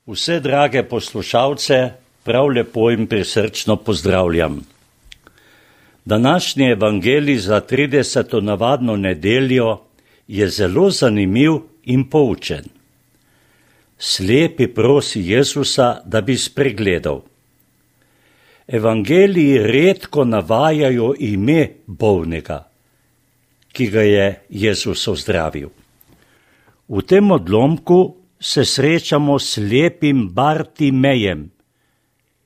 Vse drage poslušalce prav lepo in prisrčno pozdravljam. Današnji evangelij za 30. navadno nedeljo je zelo zanimiv in poučen. Slepi prosi Jezusa, da bi spregledal. Evangeliji redko navajajo ime bolnega, ki ga je Jezus ozdravil. V tem odlomku se srečamo s slepim Bartimejem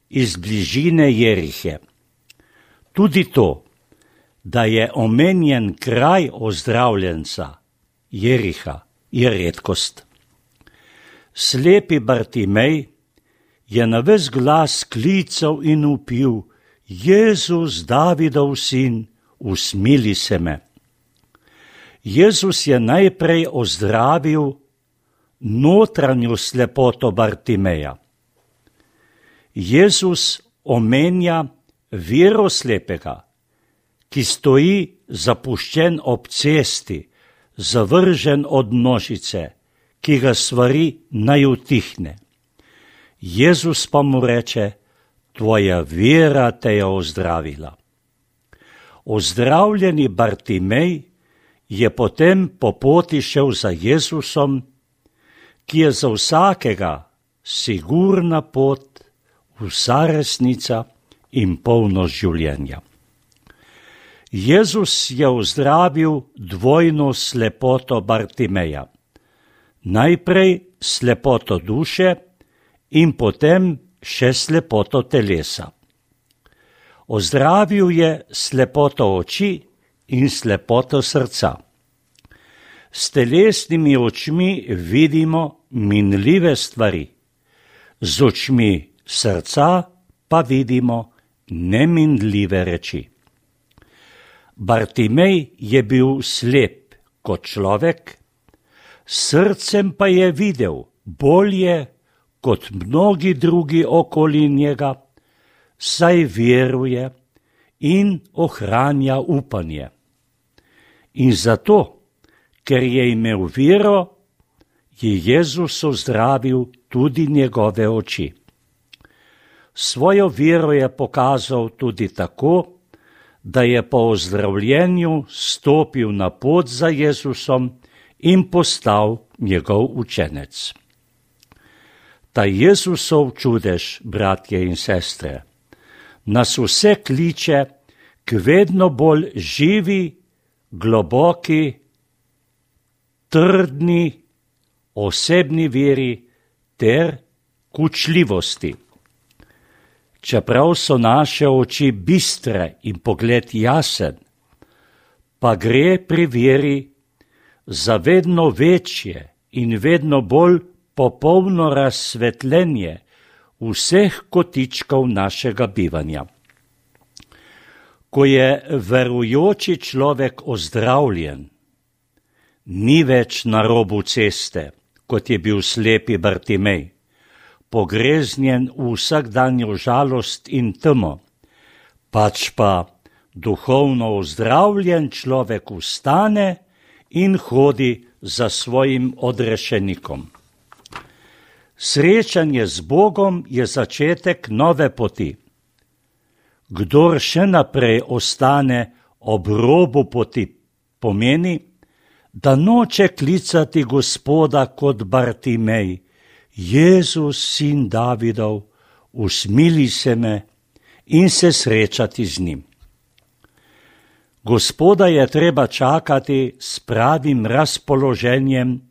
iz bližine Jerihe. Tudi to, da je omenjen kraj ozdravljenca, Jeriha, je redkost. Slepi Bartimej je na ves glas klical in vpil: Jezus, Davidov sin, usmili se me. Jezus je najprej ozdravil notranjo slepoto Bartimeja. Jezus omenja vero slepega, ki stoji zapuščen ob cesti, zavržen od množice, ki ga svari naj utihne. Jezus pa mu reče: tvoja vera te je ozdravila. Ozdravljeni Bartimej je potem po poti šel za Jezusom, ki je za vsakega sigurna pot, vsa resnica in polnost življenja. Jezus je ozdravil dvojno slepoto Bartimeja. Najprej slepoto duše in potem še slepoto telesa. Ozdravil je slepoto oči in slepoto srca. S telesnimi očmi vidimo minljive stvari, z očmi srca pa vidimo neminljive reči. Bartimej je bil slep kot človek, srcem pa je videl bolje kot mnogi drugi okoli njega, saj veruje in ohranja upanje. In zato, ker je imel vero, je Jezus ozdravil tudi njegove oči. Svojo vero je pokazal tudi tako, da je po ozdravljenju stopil na pot za Jezusom in postal njegov učenec. Ta Jezusov čudež, bratje in sestre, nas vse kliče k vedno bolj živi, globoki, trdni, osebni veri ter k učljivosti. Čeprav so naše oči bistre in pogled jasen, pa gre pri veri za vedno večje in vedno bolj popolno razsvetljenje vseh kotičkov našega bivanja. Ko je verujoči človek ozdravljen, ni več na robu ceste, kot je bil slepi Bartimej, pogreznjen v vsakdanjo žalost in temo, pač pa duhovno ozdravljen človek vstane in hodi za svojim odrešenikom. Srečanje z Bogom je začetek nove poti. Kdor še naprej ostane ob robu poti, pomeni, da noče klicati Gospoda kot Bartimej: Jezus, sin Davidov, usmili se me, in se srečati z njim. Gospoda je treba čakati s pravim razpoloženjem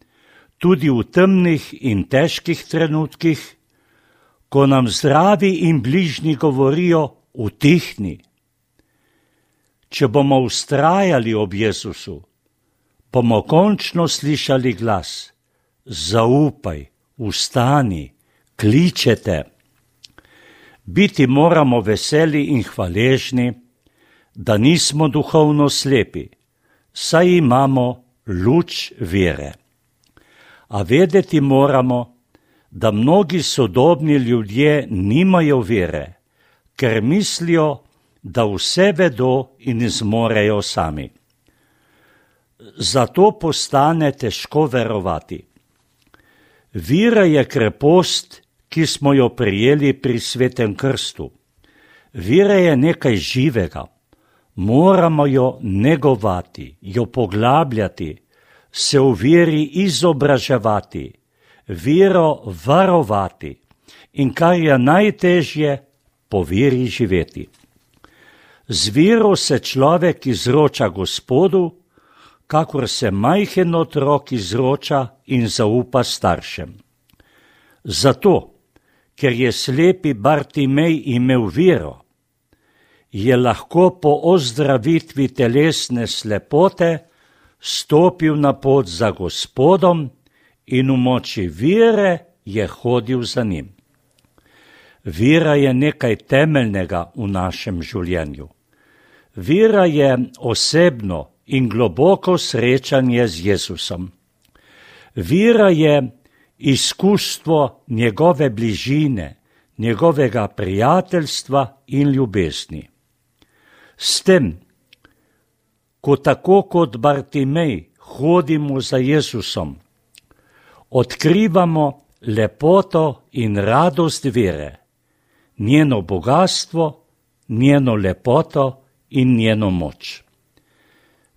tudi v temnih in težkih trenutkih, ko nam zdravi in bližnji govorijo: utihni. Če bomo vztrajali ob Jezusu, bomo končno slišali glas: zaupaj, vstani, kličete. Biti moramo veseli in hvaležni, da nismo duhovno slepi, saj imamo luč vere. A vedeti moramo, da mnogi sodobni ljudje nimajo vere, ker mislijo, da vse vedo in zmorejo sami. Zato postane težko verovati. Vera je krepost, ki smo jo prijeli pri svetem krstu. Vera je nekaj živega. Moramo jo negovati, jo poglabljati, se v veri izobraževati, vero varovati in kar je najtežje, po veri živeti. Z vero se človek izroča Gospodu, kakor se majhen otrok izroča in zaupa staršem. Zato, ker je slepi Bartimej imel vero, je lahko po ozdravitvi telesne slepote stopil na pot za Gospodom in v moči vere je hodil za njim. Vera je nekaj temeljnega v našem življenju. Vera je osebno in globoko srečanje z Jezusom. Vera je izkustvo njegove bližine, njegovega prijateljstva in ljubezni. S tem, ko tako kot Bartimej hodimo za Jezusom, odkrivamo lepoto in radost vere, njeno bogatstvo, njeno lepoto in njeno moč.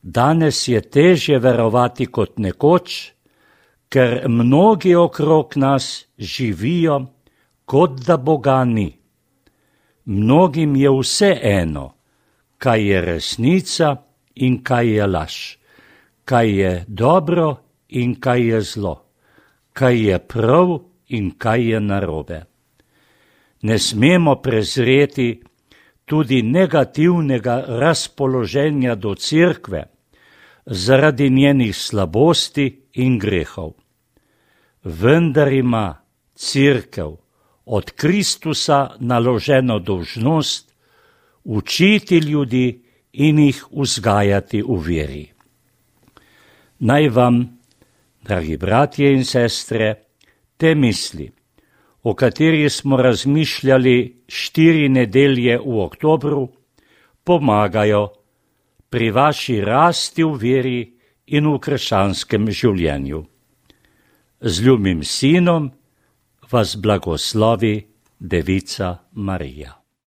Danes je težje verovati kot nekoč, ker mnogi okrog nas živijo, kot da Boga ni. Mnogim je vse eno, kaj je resnica in kaj je laž, kaj je dobro in kaj je zlo, kaj je prav in kaj je narobe. Ne smemo prezreti tudi negativnega razpoloženja do cerkve zaradi njenih slabosti in grehov. Vendar ima cerkev od Kristusa naloženo dolžnost učiti ljudi in jih vzgajati v veri. Naj vam, dragi bratje in sestre, te misli, o kateri smo razmišljali 4 nedelje v oktobru, pomagajo pri vaši rasti v veri in v krščanskem življenju. Z ljubim sinom vas blagoslovi Devica Marija.